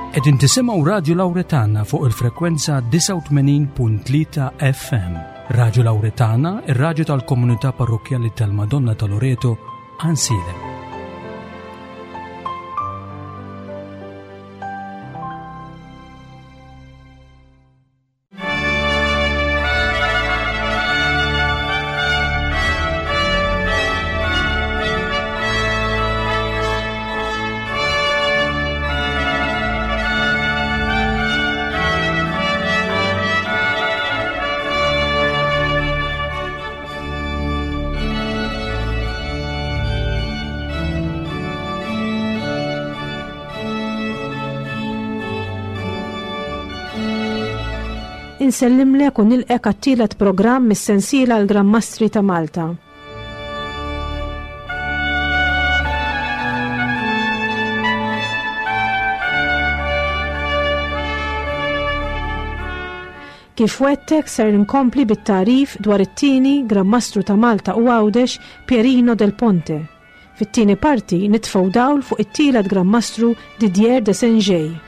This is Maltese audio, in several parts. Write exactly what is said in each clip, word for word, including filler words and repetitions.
Qegħdin tisimgħu Radio Lauretana fuq il-frekwenza disgħa u tmenin punt tlieta F M. Radio Lauretana, ir-radju tal-komunità parrokkjali tal-Madonna ta' Loreto, Għajnsielem. Insellimlek u nilqgħek għat-tielet programm mis-sensiela l-Gran Mastri ta' Malta. Kif wegħedtek, ser nkompli bit-tagħrif dwar it-tieni Gran Mastru ta' Malta u Għawdex, Pierino del Ponte. Fit-tieni parti nitfgħu dawl fuq it-tielet Gran Mastru, Didier de Saint-Geis.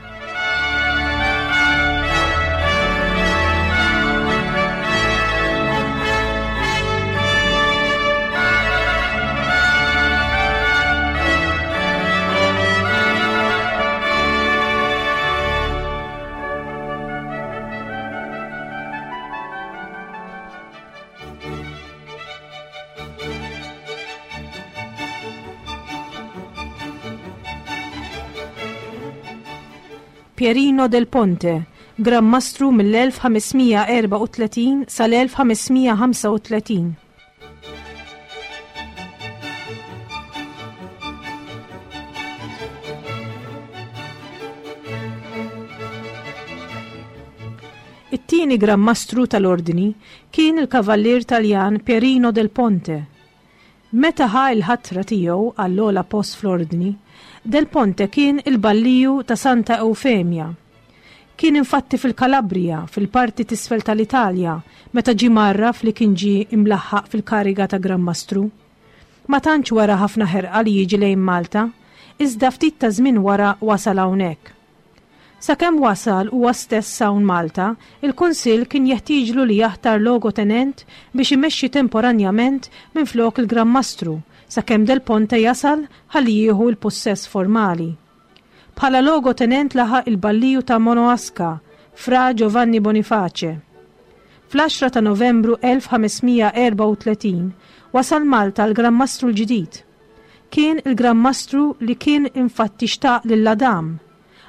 Pierino del Ponte, Gran Mastru mill-elf ħames mija erbgħa u tletin sal-elf ħames mija ħamsa u tletin. It-tieni Gran Mastru tal-Ordni kien il-Kavallier Taljan Pierino del Ponte. Meta ħa l-ħatra tiegħu għall-ogħla post fl-Ordni, Del Ponte kien il-balliju ta' Santa Eufemia. Kien infatti fil-Kalabria, fil-parti t'isfel tal-Italja, meta ġie mgħarraf li kien ġie imlaħħaq fil-kariga ta' Gran Mastru. Ma tantx wera ħafna ħerqa li jiġi lejn Malta, iżda ftit ta' żmien wara wasal hawnhekk. Sakemm wasal huwa stess hawn Malta, il-Kunsill kien jeħtieġlu li jaħtar logotenent biex imexxi temporanjament minn flok il-Gran Mastru sakemm Del Ponte jasal ħalli jieħu l-possess formali. Bħala logotenent laħaq il-balliju ta' Monoaska, Fra Giovanni Boniface. Fl-għaxra ta' Novembru elf ħames mija erbgħa u tletin wasal Malta l-Gran Mastru l-ġdid. Kien il-Gran Mastru li kien infatti xtaq lil Adam,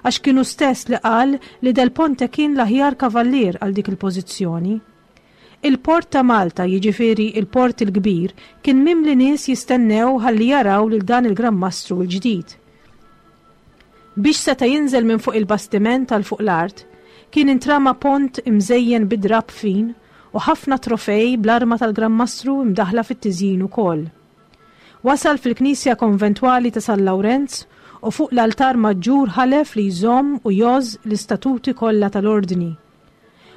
għax kien hu stess li qal li Del Ponte kien l-aħjar kavallier għal dik il-pożizzjoni. Il-port ta' Malta, jiġifieri il-port il-kbir, kien mimli nies jistennew ħalli jaraw lil dan il-Gran Mastru l-ġdid. Biex seta' jinżel minn fuq il-bastiment għal fuq l-art, kien intrama pont imżejjen bid-drab fin u ħafna trofej bl-arma tal-Gran Mastru imdaħla fit-tiżjin ukoll. Wasal fil-Knisja Konventwali ta' San Lawrenz u fuq l-altar maġġur ħalef li jżomm u jgħożż l-istatuti kollha tal-ordni.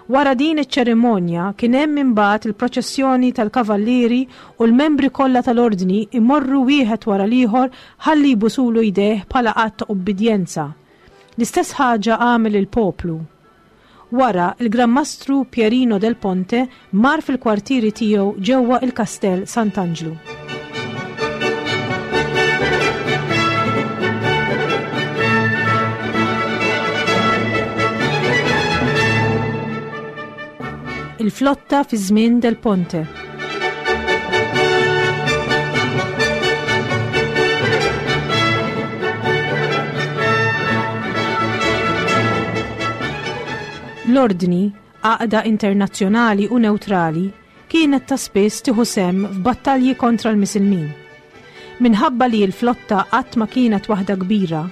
Wara din iċ-ċerimonja kien hemm imbagħad il-proċessjoni tal-kavallieri u l-membri kollha tal-ordni imorru wieħed wara l-ieħor ħalli jbusulu jdejh bħala att ta' ubbidjenza. L-istess ħaġa għamel il-poplu. Wara, il-Gran Mastru Pierino del Ponte mar fil-kwartieri tiegħu ġewwa il-Kastell Sant'Anġlu. Il-flotta fi żmien Del Ponte. L-Ordni, għaqda internazzjonali u neutrali, kienet ta' spiss tieħu sehem f'battalji kontra l-Misilmin. Minħabba li l-flotta qatt ma kienet waħda kbira,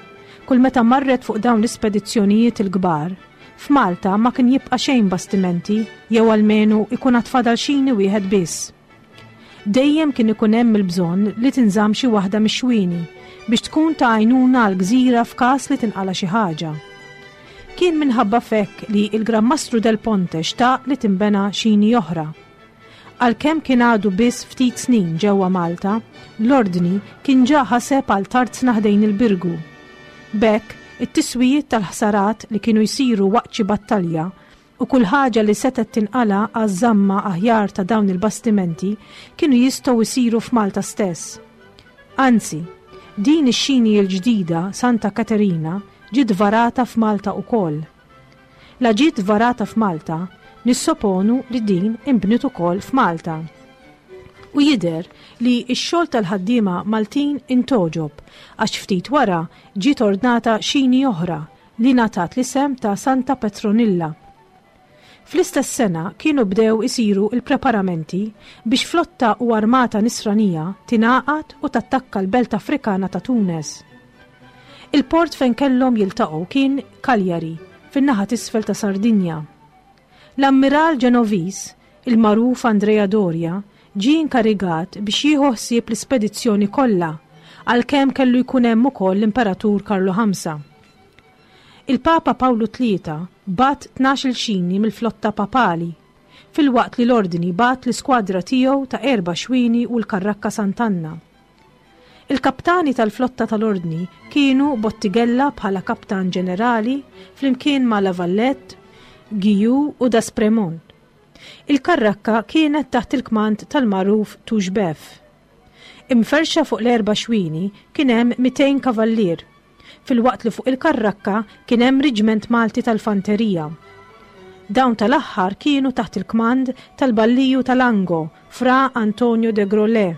kull meta marret fuq dawn l-ispedizzjonijiet il-kbar, f'Malta ma kien jibqa' xejn bastimenti jew almenu ikun għad fadal xini wieħed biss. Dejjem kien ikun hemm il-bżonn li tinżamm xi waħda mix-xwieni biex tkun ta' għajnuna għal gżira f'każ li tinqala xi ħaġa. Kien minħabba f'hekk li il-Gran Mastru Del Ponte xtaq li timbena xini oħra. Għalkemm kien għadu biss ftit snin ġewwa Malta, l-Ordni kien ġa ħaseb għal tarzna ħdejn il-Birgu. B'hekk, It-tiswijiet tal-ħsarat li kienu jsiru waqt xi battalja u kull ħaġa li setgħet tinqala għaż-żamma aħjar ta' dawn il-bastimenti kienu jistgħu jsiru f'Malta stess. Anzi, din ix-xini l-ġdida Santa Katerina ġiet varata f'Malta ukoll. La ġiet varata f'Malta, nissoponu li din inbniet ukoll f'Malta. U jidher li x-xogħol tal-ħaddiema Maltin intgħoġob għax ftit wara ġiet ordnata xini oħra li ngħatat l-isem ta' Santa Petronilla. Fl-istess sena kienu bdew isiru il-preparamenti biex flotta u armata nisranija tingħaqad u tattakka l-belt Afrikana ta' Tunes. Il-port fejn kellhom jiltaqgħu kien Cagliari, fin-naħa t'isfel ta' Sardinja. L-Ammiral Ġenoviż, il-magħruf Andrea Doria, ġie inkarigat biex jieħu ħsieb l-ispedizzjoni kollha, għalkemm kellu jkun hemm ukoll l-Imperatur Karlu Ħamsa. Il-Papa Pawlu Tlieta bagħat tnax-il xini mill-flotta papali, filwaqt li l-Ordni bagħat l-iskwadra tiegħu ta' erba' xwini u l-Karrakka Sant'Anna. Il-kaptani tal-flotta tal-Ordni kienu Bottighella bħala kaptan ġenerali flimkien ma' La Valette, Giju u D'Aspremont. Il-karrakka kienet taħt il-kmand tal-magħruf Touchbeuf. Imferxa fuq l-erba' xwini kien hemm mitejn kavallier, filwaqt li fuq il-karrakka kien hemm riġment Malti tal-Fanterija. Dawn tal-aħħar kienu taħt il-kmand tal-Balliju tal-Ango, Fra Antonio de Grollet,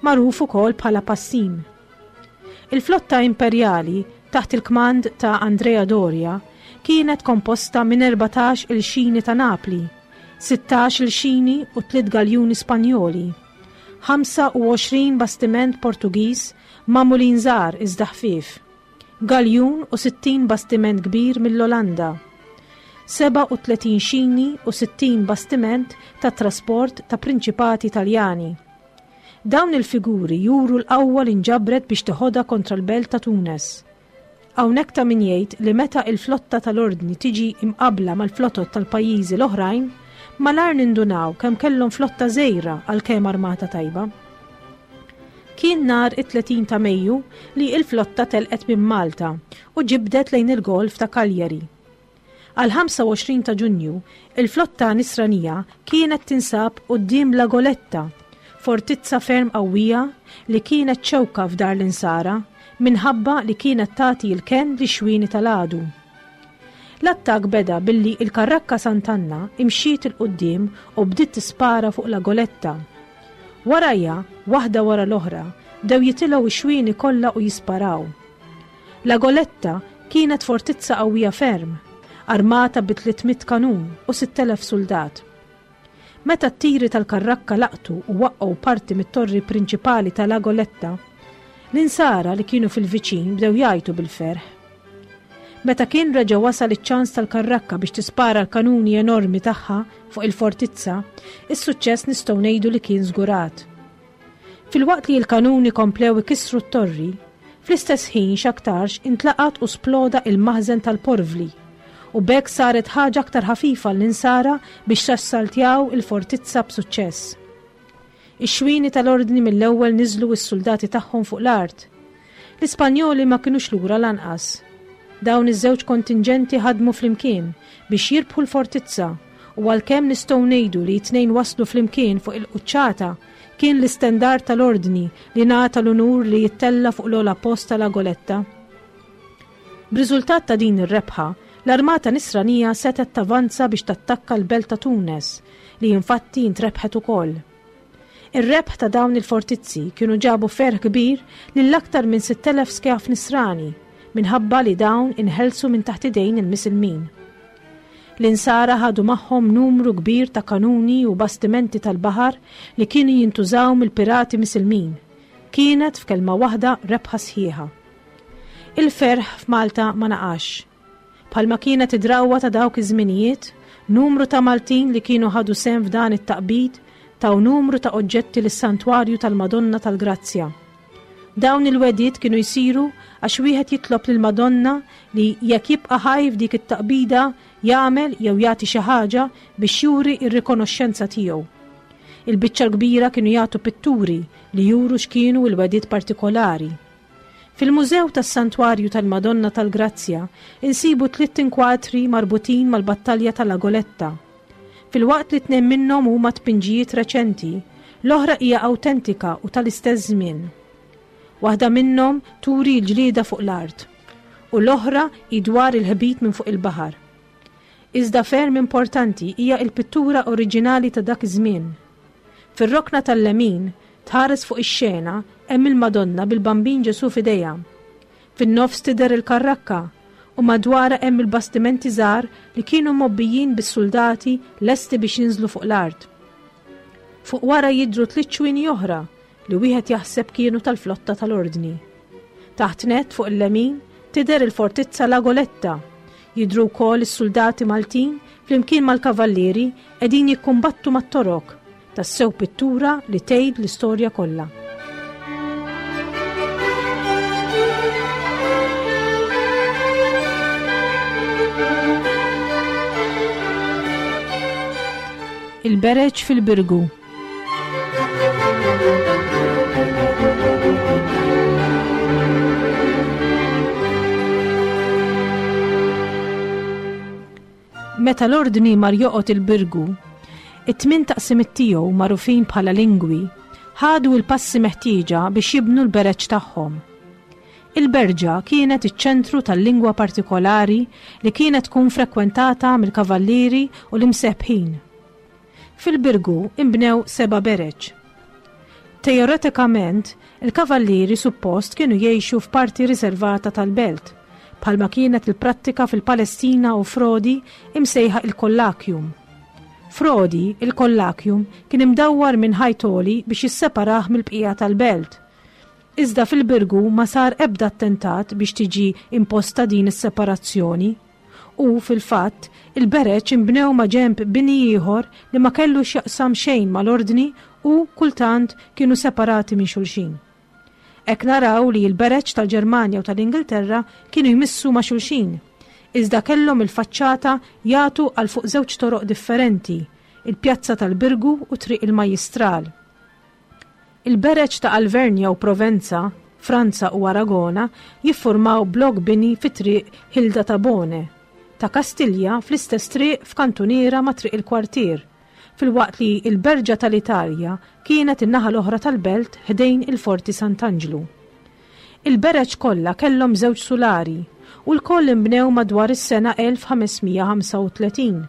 magħruf ukoll bħala Passim. Il-flotta imperjali taħt il-kmand ta' Andrea Doria kienet komposta minn erbatax il-xini ta' Napli, sittax il-xini u tliet galjuni Spanjoli, ħamsa u għoxrin bastiment Portugiż magħmulin żgħar iżda ħfief, galjun u sittin bastiment kbir mill-Olanda, seba' u tletin xini u sittin bastiment ta' trasport ta' prinċipati Taljani. Dawn il-figuri juru l-qawwa li nġabret biex teħodha kontra l-belt ta' Tunes. Hawnhekk ta' min jgħid li meta il-flotta tal-Ordni tiġi imqabla mal-flotot tal-pajjiżi l-oħrajn, malar nindunaw kemm kellhom flotta żgħira għalkemm armata tajba. Kien nhar it-tletin ta' Mejju li il-flotta telqet minn Malta u ġibdet lejn il-Golf ta' Cagliari. Għal ħamsa u għoxrin ta' Ġunju, il-flotta nisranija kienet tinsab quddiem La Goletta, fortizza ferm qawwija li kienet ċewka f'dar l-insara minħabba li kienet tagħti l-kenn li xwini tal-għadu. L-attakk beda billi il-karrakka Sant'Anna imxiet il-qudiem u bdiet tispara fuq La Goletta. Warajja, waħda wara l-oħra, bdew jitilgħu ix-xwieni kollha u jisparaw. La Goletta kienet fortizza qawwija ferm, armata bi tliet mitt kanun u sitt elef soldat. Meta t-tiri tal-karrakka laqtu u waqqgħu parti mit-torri prinċipali ta' La Goletta, l-insara li kienu fil-viċin bdew jgħajtu bil-ferħ. Meta kien reġa' wasal iċ-ċans tal-karrakka biex tispara l-kanuni enormi tagħha fuq il-fortizza, is-suċċess nistgħu ngħidu li kien żgurat. Filwaqt li l-kanuni komplew ikissru t-torri, fl-istess ħin x'aktarx intlaqat u sploda il-maħżen tal-porvli, u b'hekk saret ħaġa aktar ħafifa l-insara biex tassaltjaw il-fortizza b'suċċess. Ix-xwini tal-ordni mill-ewwel niżlu s-soldati tagħhom fuq l-art. L-Ispanjoli ma kinux lura lanqas. Dawn iż-żewġ kontingenti ħadmu flimkien biex jirbħu l-fortizza u għalkemm nistgħu ngħidu li t-tnejn waslu flimkien fuq il-quċċata, kien l-istendard tal-ordni li ngħata l-unur li jittella fuq l-ogħla post tal Goletta. B'riżultat ta' din ir-rebħa, l-armata nisranija setgħet tavanza biex tattakka l-belt ta' Tunes, li infatti intrebħet ukoll. Ir-rebħ ta' dawn il-fortizzi kienu ġabu ferħ kbir lil aktar minn sitt elef skjaf nisrani, minħabba li dawn inħelsu minn taħt idejn il-Misilmin. L-insara ħadu magħhom numru kbir ta' kanuni u bastimenti tal-baħar li kienu jintużaw mill-pirati Misilmin. Kienet f'kelma waħda rebħa sħiħa. Il-ferħ f'Malta ma naqax. Bħalma kienet id-drawwa ta' dawk iż-żminijiet, numru ta' Maltin li kienu ħadu sehem f'dan it-taqbid taw numru ta' oġġetti lis-Santwarju tal-Madonna tal-Grazzja. Dawn il-wediet kienu jsiru għax wieħed jitlob lill-Madonna li jekk jibqa' ħaj f'dik it-taqbida jagħmel jew jagħti xi ħaġa biex juri r-rikonoxxenza tiegħu. Il-biċċa l-kbira kienu jagħtu pitturi li juru x'kienu l-wediet partikolari. Fil-Mużew tas-Santwarju tal-Madonna tal-Grazzja insibu tliet inkwatri marbutin mal-battalja ta' La Goletta. Filwaqt li tnejn minnhom huma tpinġijiet reċenti, l-oħra hija awtentika u tal-istess żmien. Waħda minnhom turi l-ġlieda fuq l-art u l-oħra hi dwar il-ħbit minn fuq il-baħar. Iżda ferm importanti hija l-pittura oriġinali ta' dak iż-żmien. Fir-rokna tal-lemin tħares fuq ix-xena hemm il-Madonna bil-Bambin Ġesù f'idejha. Fin-nofs tidher il-karrakka u madwarha hemm il-bastimenti żgħar li kienu mgħobbijin bis-suldati lesti biex jinżlu fuq l-art. Fuq wara jidhru tliet ċwini oħra li wieħed jaħseb kienu tal-flotta tal-Ordni. Taħt nett fuq il-lemin tidher il-fortizza La Goletta. Jidhru wkoll is-suldati Maltin flimkien mal-kavallieri qegħdin jikkumbattu mat-Torok. Tassew pittura li tgħid l-istorja kollha. Il-Bereġ fil-Birgu. Meta l-Ordni mar joqgħod il-Birgu, it-tmien taqsimiet tiegħu magħrufin bħala lingwi ħadu l-passi meħtieġa biex jibnu l-bereġ tagħhom. Il-berġa kienet iċ-ċentru tal-lingwa partikolari li kienet tkun frekwentata mill-kavallieri u l-imsebbħin. Fil-Birgu imbnew seba' bereġ. Teoretikament, il-kavallieri suppost kienu jgħixu f'parti riservata tal-belt, bħalma kienet il-prattika fil-Palestina u Frodi imsejħa il-Kollakium. Frodi, il-Kollakium, kien imdawwar minn ħajtoli biex jisseparah mill-bqija tal-belt. Iżda fil-Birgu ma sar ebda attentat biex tiġi imposta din is-separazzjoni. U fil-fatt, il-bereġ imbnew ma' ġenb bini ieħor li ma kellu x'jaqsam xejn mal-Ordni u kultant kienu separati minn xulxin. Hekk naraw li l-bereġ tal-Ġermanja u tal-Ingilterra kienu jmissu ma' xulxin, iżda kellhom il-faċċata jagħtu għal fuq żewġ toroq differenti, il-Pjazza tal-Birgu u Triq il-Majjistral. Il-bereġ ta' Alvernja u Provenza, Franza u Aragona jiffurmaw blok bini fi Triq Hilda ta' Bone, ta' Kastilja fl-istess triq f'kantuniera ma' Triq il-Kwartier, filwaqt li l-Berġa tal-Italja kienet in-naħa l-oħra tal-belt ħdejn il-Forti Sant'Anġlu. Il-bereġ kollha kellhom żewġ sulari u l-koll imbnew madwar is-sena elf ħamesmija ħamsa u tletin.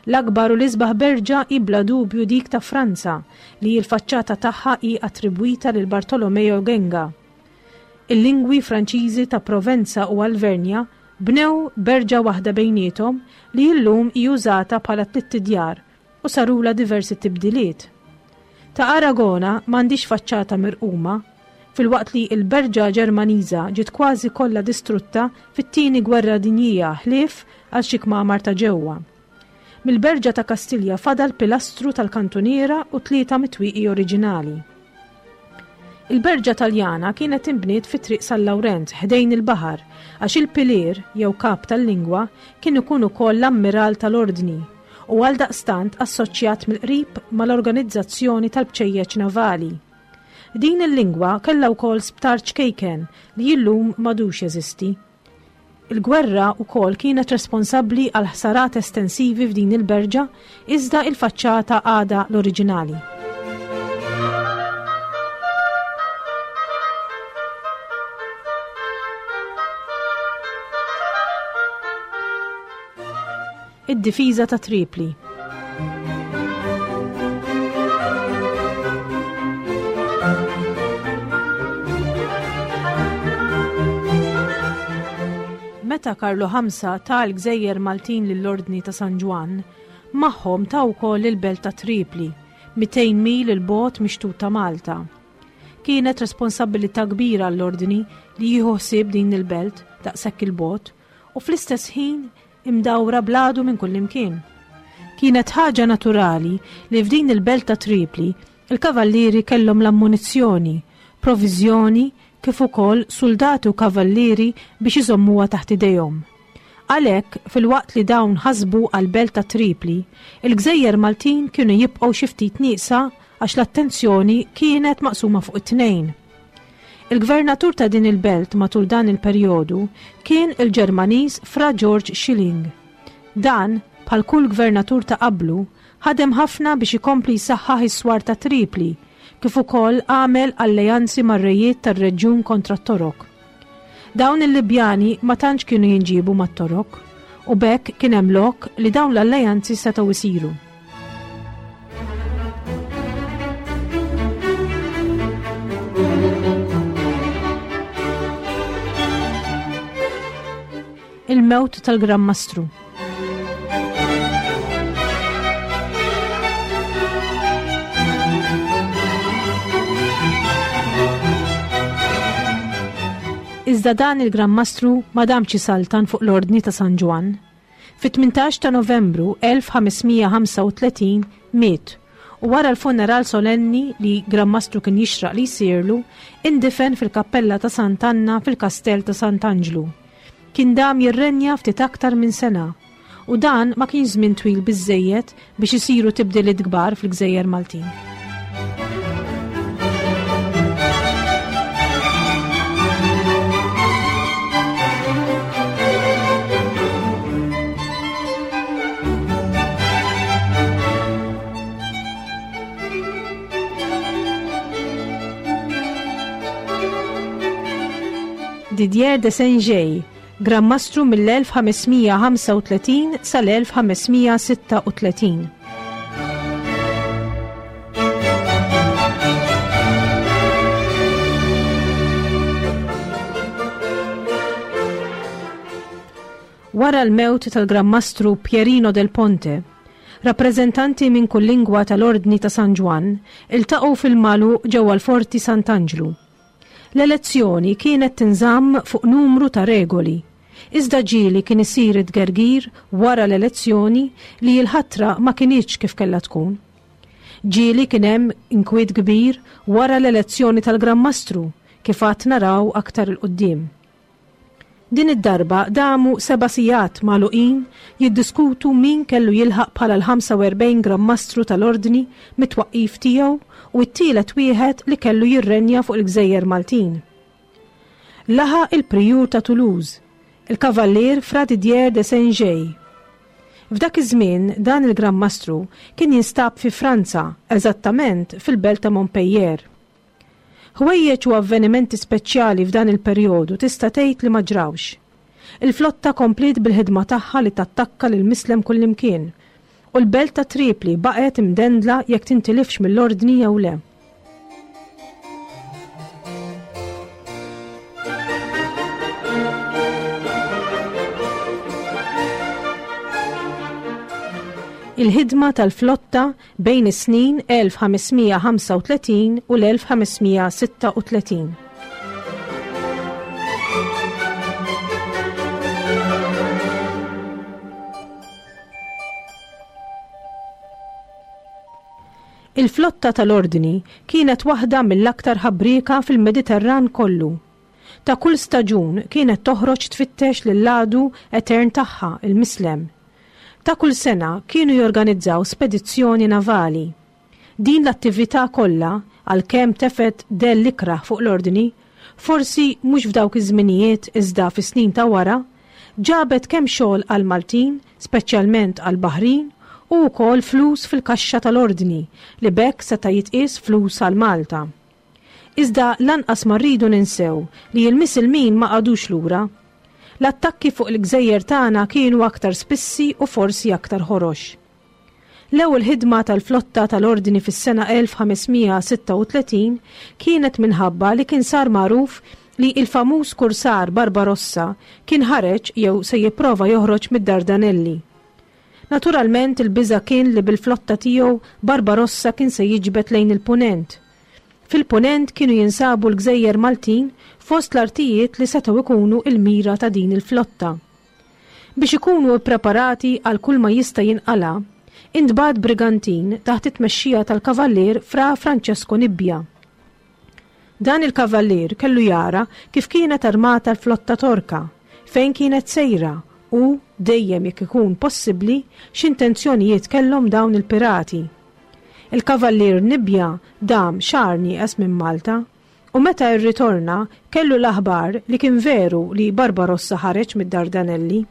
L-akbar u l-isbaħ berġa hi bla dubju dik ta' Franza li l-faċċata tagħha hi attribwita lil Bartolomeo Genga. Il-lingwi Franċiżi ta' Provenza u Alvernja bnew berġa waħda bejniethom li llum hi użata bħala tliet idjar u sarula diversi tibdiliet. Ta' Aragona m'għandix faċċata mirquma, filwaqt li l-berġa Ġermaniża ġiet kważi kollha distrutta fit-tieni gwerra dinjija ħlief għal xi kmamar ta' ġewwa. Mill-berġa ta' Kastilja fadal pilastru tal-kantuniera u tlieta mitwieqi oriġinali. Il-berġa Taljana kienet inbniet fi Triq San Lawrenz ħdejn il-baħar għax il-pilier jew kap tal-lingwa kien ikun ukoll l-ammiral tal-Ordni u għaldaqstant assoċjat mill-qrib mal-organizzazzjoni tal-bċejjeċ navali. Din il-lingwa kellha wkoll sptar ċkejken li illum m'għadux jeżisti. Il-gwerra wkoll kienet responsabbli għal ħsarat estensivi f'din il-berġa iżda il-faċċata għadha l-oriġinali. Id-difiża ta' Tripli. Meta Karlu ħamsa ta l-Gżejjer Maltin lill-Ordni ta' San Ġwann, magħhom ta wkoll il-belt ta' Tripli, mitejn mil il-bogħod mixtut ta' Malta. Kienet responsabilità kbira għall-Ordni li jieħu ħsieb din il-belt daqshekk il-bogħod u fl-istess ħin imdawra bladu minn kullimkien. Kienet ħaġa naturali li f'din il-belt ta' Tripli il-kavallieri kellhom l-ammunizzjoni, proviżjoni kif ukoll soldati u kavallieri biex iżommuha taħt idejhom. Għalhekk, filwaqt li dawn ħasbu għall-belt ta' Tripli, il-Gżejjer Maltin kienu jibqgħu xi ftit nieqsa għax l-attenzjoni kienet maqsuma fuq it-tnejn. Il-gvernatur ta' din il-belt matul dan il-perjodu kien il-Ġermaniż Fra George Schilling. Dan, bħal kull gvernatur ta' qablu, ħadem ħafna biex ikompli jsaħħaħ is-swar ta' Tripli, kif ukoll għamel alleanzi mar-rejiet tar-reġjun kontra t-Torok. Dawn il-Libjani ma tantx kienu jinġiebu mat-Torok, u b'hekk kien hemm lok li dawn l-alleanzi setgħu jsiru. Il-mewt tal-Gran Mastru. Iżda dan il-Gran Mastru ma damx isaltan fuq l-Ordni ta' San Ġwann. Fit-tmintax ta' Novembru elf ħamesmija ħamsa u tletin miet u wara l-funeral solenni li Gran Mastru kien jixraq li jsirlu, indifen fil-kappella ta' Sant'Anna fil-Kastell ta' Sant'Anġlu. Kien dam jirrenja ftit aktar minn sena u dan ma kienx żmien twil biżżejjed biex isiru tibdiliet kbar fil-Gżejjer Maltin. Didier de Saint-Gay, Gran Mastru mill-elf ħamesmija ħamsa u tletin sal-elf ħamesmija sitta u tletin. Wara l-mewt tal-Gran Mastru Pierino del Ponte, rappreżentanti minn kull lingwa tal-Ordni ta' San Ġwann iltaqgħu fil-Malu ġewwa l-Forti Sant'Anġlu. L-elezzjoni kienet tinżamm fuq numru ta' regoli, iżda ġieli kien isir it-tgergir wara l-elezzjoni li l-ħatra ma kinitx kif kellha tkun. Ġieli kien hemm inkwiet kbir wara l-elezzjoni tal-Gran Mastru, kif għad naraw aktar il-qudiem. Din id-darba damu seba' sigħat magħluqin jiddiskutu min kellu jilħaq bħala l-ħamsa u erbgħin Gran Mastru tal-Ordni mit-twaqqif tiegħu u t-tielet wieħed li kellu jirrenja fuq il-Gżejjer Maltin. Laħaq il-Prijur ta' Toulouse, il-Kavallier Fra Didier de Saint-Gay. F'dak iż-żmien dan il-Gran Mastru kien jinstab fi Franza, eżattament fil-belt ta' Montpellier. Ħwejjeġ u avvenimenti speċjali f'dan il-perjodu tista' tgħid li ma ġrawx. Il-flotta kompliet bil-ħidma tagħha li tattakka lil mislem kullimkien, u l-belt ta' Tripli baqgħet imdendla jekk tintilifx mill-ordni jew le. Il-ħidma tal-flotta bejn is-snin elf ħamesmija ħamsa u tletin u l-elf ħamesmija sitta u tletin. Il-flotta tal-Ordni kienet waħda mill-aktar ħabrieka fil-Mediterran kollu. Ta' kull staġun kienet toħroġ tfittex lill-għadu etern tagħha, il-Mislem. Ta' kull sena kienu jorganizzaw spedizzjoni navali. Din l-attività kollha, għalkemm tefet dell ikrah fuq l-Ordni, forsi mhux f'dawk iż-żminijiet iżda fis-snin ta' wara, ġabet kemm xogħol għal Maltin, speċjalment għal Baħrin, u wkoll flus fil-kaxxa tal-Ordni li b'hekk seta' jitqies flus għal Malta. Iżda lanqas ma rridu ninsew li l-Misilmin ma qagħdux lura. L-attakki fuq il-gżejjer tagħna kienu aktar spissi u forsi aktar ħorox. L-ewwel ħidma tal-flotta tal-Ordni fis-sena elf ħamesmija sitta u tletin kienet minħabba li kien sar magħruf li il-famuż kursar Barbarossa kien ħareġ jew se jipprova joħroġ mid-Dardanelli. Naturalment il-biża' kien li bil-flotta tiegħu Barbarossa kien se jiġbed lejn il-Punent. Fil-Punent kienu jinsabu l-Gżejjer Maltin fost l-artijiet li setgħu ikunu il-mira ta' din il-flotta. Biex ikunu ppreparati għal kull ma jista' jinqala, intbagħat brigantin taħt it-tmexxija tal-Kavallier Fra Francesco Nibbia. Dan il-Kavallier kellu jara kif kienet armata l-flotta Torka, fejn kienet sejra u, dejjem jekk ikun possibbli, x'intenzjonijiet kellhom dawn il-pirati. Il-Kavallier Nibbia dam xahar nieqes minn Malta U meta rritorna kellu l-aħbar li kien veru li Barbarossa ħareġ mid-Dardanelli.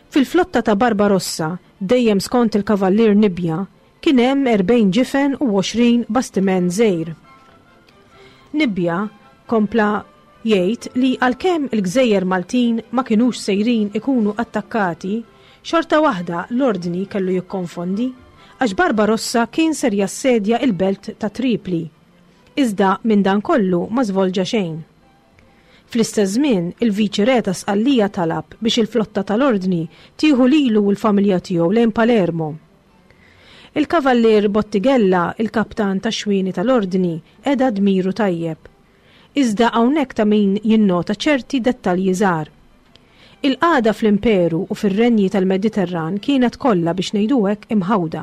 Fil-flotta ta' Barbarossa, dejjem skont il-Kavallier Nibbia, kien hemm erbgħin ġifen u għoxrin bastiment żgħir. Nibbia kompla jgħid li għalkemm il-gżejjer Maltin ma kinux sejrin ikunu attakkati, xorta waħda l-ordni kellu jikkonfondi għax Barbarossa kien ser jassedja il-belt ta' Tripli. Iżda minn dan kollu ma żvolġa xejn. Fl-istess żmien, il-Viċi Re ta' Sqallija talab biex il-flotta tal-ordni tieħu lilu u l-familja tiegħu lejn Palermo. Il-Kavallier Bottighella, il-kaptan tax-xwieni tal-ordni, qeda dmiru tajjeb. Iżda hawnhekk ta' min jinnota ċerti dettalji żgħar. Il-qagħda fl-Imperu u fir-renji tal-Mediterran kienet kollha biex ngħidu hekk imħawda.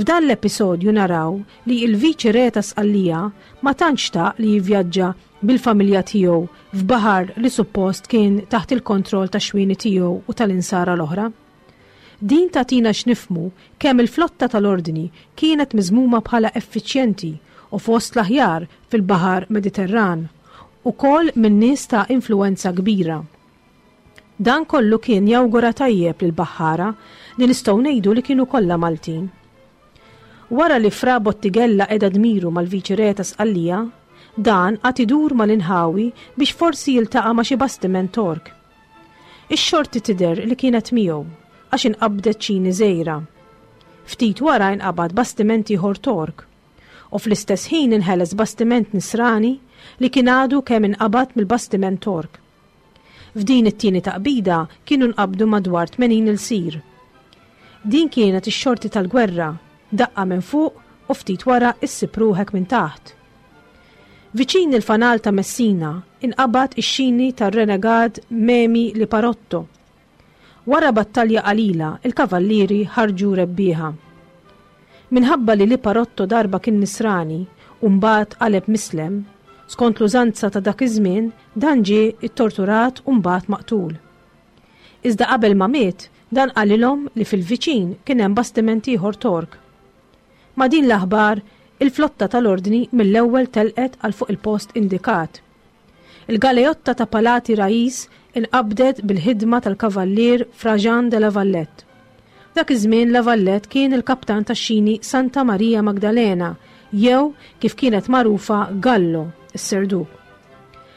F'dan l-episodju naraw li il-Viċi Re ta' Sqallija ma tantx xtaq li jivvjaġġa bil-familja tiegħu f'baħar li suppost kien taħt il-kontroll ta' xwieni tiegħu u tal-insara l-oħra. Din tagħtina x'nifhmu kemm il-flotta tal-ordni kienet miżmuma bħala effiċjenti u fost l-aħjar fil-baħar Mediterran, ukoll minn nies ta' influwenza kbira. Dan kollu kien jawgura tajjeb lil baħħara li nistgħu ngħidu li kienu kollha Maltin. Wara li Fra Bottighella qeda dmiru mal-Viċi Re ta' Sqallija, dan qagħad idur mal-inħawi biex forsi jiltaqa' ma' xi bastiment Tork. Ix-xorti tidher li kienet miegħu għax inqabdet ċini żgħira. Ftit wara inqabad bastiment ieħor Tork u fl-istess ħin inħeles bastiment Nisrani li kien għadu kemm inqabad mill-bastiment Tork. F'din it-tieni taqbida kienu nqabdu madwar tmenin ilsir. Din kienet ix-xorti tal-gwerra, daqqa minn fuq u ftit wara issib ruħek minn taħt. Viċin il-fanal ta' Messina inqabad ix-xini tar-renegad Memi Liparotto. Wara battalja qalila, il-kavallieri ħarġu rebbieħa. Minħabba li Liparotto darba kien nisrani u mbagħad qaleb mislem, skont l-użanza ta' dak iż-żmien dan ġie ttorturat u mbagħad maqtul. Iżda qabel ma miet, dan qalilhom li fil-viċin kien hemm bastiment ieħor Tork. Ma' din l-aħbar, il-flotta tal-ordni mill-ewwel telqet għal fuq il-post indikat. Il-galeotta ta' Palati Rais inqabdet bil-ħidma tal-kavallier Fra Jean de la Vallette. Dak iż-żmien La Vallette kien il-kaptan tax-xini Santa Maria Magdalena, jew kif kienet magħrufa Gallo, is-Serduk.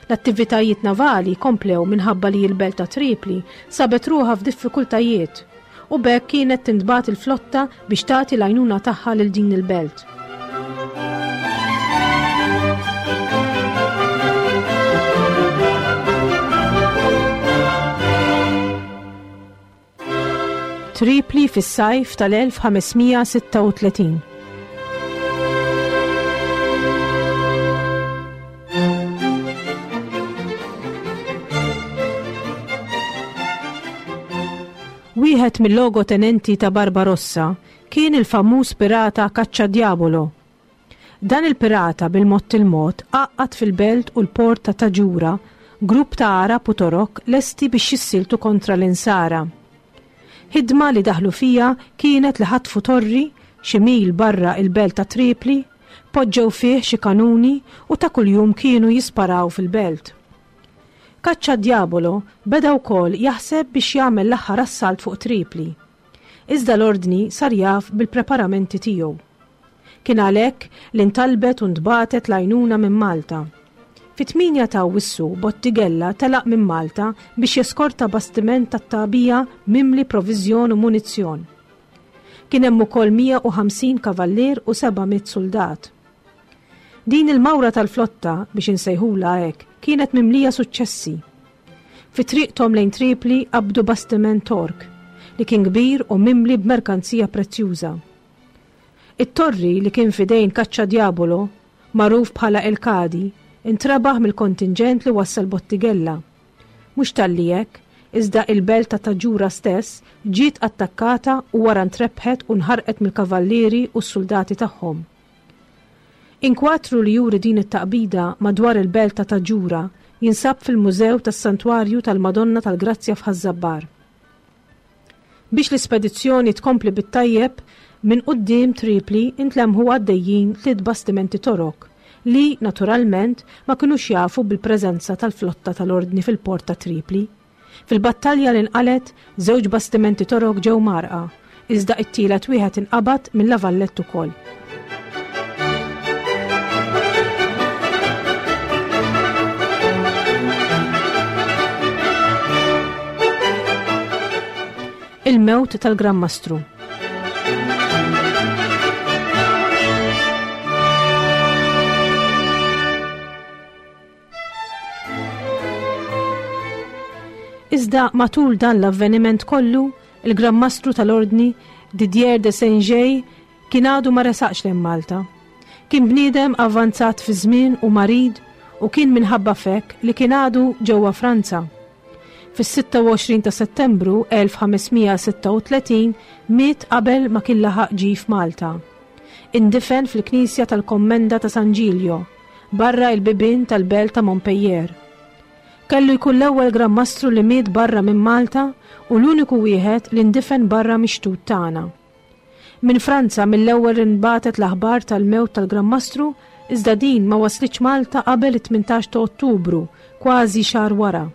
L-attivitajiet navali komplew minħabba li l-belt ta' Tripli sabet ruħha f'diffikultajiet u b'hekk kienet tintbagħat il-flotta biex tagħti l-għajnuna tagħha lil din il-belt. Tripli fis-sajf tal-elf ħamesmija sitta u tletin. Wieħed mill-logo tenenti ta' Barbarossa kien il-famuż pirata Caccia Diavolo. Dan il-pirata bil-mod il-mod għaqqad fil-belt u l-port ta' Taġura grupp ta' Arab u Torok lesti biex jissiltu kontra l-insara. Ħidma li daħlu fija kienet li ħatfu torri xi mil barra il-belt ta' Tripli, poġġew fih xi kanuni u ta' kuljum kienu jisparaw fil-belt. Caccia Diavolo beda wkoll jaħseb biex jagħmel l-aħħar assalt fuq Tripli. Iżda l-ordni sar jaf bil-preparamenti tiegħu. Kien għalhekk li ntalbet u ntbatet l-għajnuna minn Malta. Fit-tmienja ta' Awwissu Bottighella telaq minn Malta biex jeskorta bastiment tat-tagħbija mimli proviżjon u munizzjon. Kien hemm ukoll mija u ħamsin kavallier u seba' mitt soldat. Din il-mawra tal-flotta, biex insejħula hekk, kienet mimlija suċċessi. Fi triqthom lejn Tripli qabdu bastiment Tork, li kien kbir u mimli b'merkanzija prezzjuża. It-torri li kien fidejn Caccia Diavolo, magħruf bħala El Kadi, intrabaħ mill-kontingent li wassal Bottighella. Mhux talli hekk, iżda il-belt ta' Taġura stess ġiet attakkata u wara ntrebħet u nħarqet mill-kavallieri u s-soldati tagħhom. Inkwatru li juri din it-taqbida madwar il-belt ta' Taġura jinsab fil-Mużew tas-Santwarju tal-Madonna tal-Grazzja f'Ħaż-Żabbar. Biex l-ispedizzjoni tkompli bit-tajjeb, minn quddiem Tripli intlemħu għaddejjin tliet bastimenti Torok li, naturalment, ma kinux jafu bil-preżenza tal-flotta tal-Ordni fil-port ta' Tripli. Fil-battalja li nqalgħet, żewġ bastimenti Torok ġew mgħarrqa, iżda it-tielet wieħed inqabad minn La Valette ukoll. Il-mewt tal-Gran Mastru. Iżda matul dan l-avveniment kollu, il-Gran Mastru tal-Ordni Didier de Saint-Gey kien għadu ma resaqx lejn Malta. Kien bniedem avvanzat fi żmien u marid u kien minħabba fek li kien għadu ġewwa Franza. Fis-sitta u għoxrin ta' Settembru elf ħames mija sitta u tletin miet qabel ma kien laħaq ġie f'Malta. Indifen fil-Knisja tal-Kommenda ta' San Gilio, barra il-bibien tal-belt ta' Montpellier. Kellu jkun l-ewwel Gran Mastru li miet barra minn Malta u l-uniku wieħed li ndifen barra mix-xtut tagħna. Minn Franza mill-ewwel inbatet l-aħbar tal-mewt tal-Gran Mastru, iżda din ma waslitx Malta qabel it-tmintax ta' Ottubru, kważi xahar wara.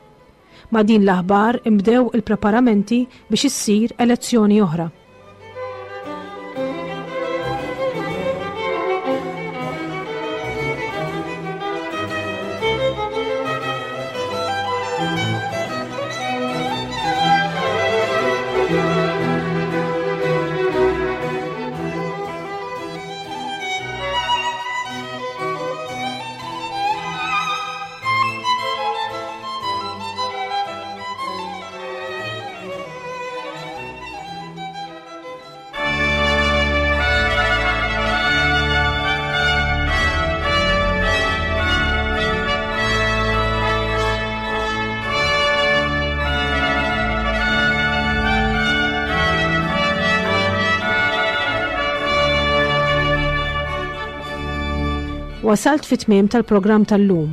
Ma' din l-aħbar imbdew il-preparamenti biex issir elezzjoni oħra. Wasalt fit-tmiem tal-programm tal-lum,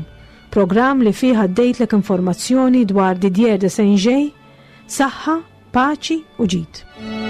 programm li fih għaddejtlek informazzjoni dwar Didier de Saint-Gey, saħħa, paċi u ġid.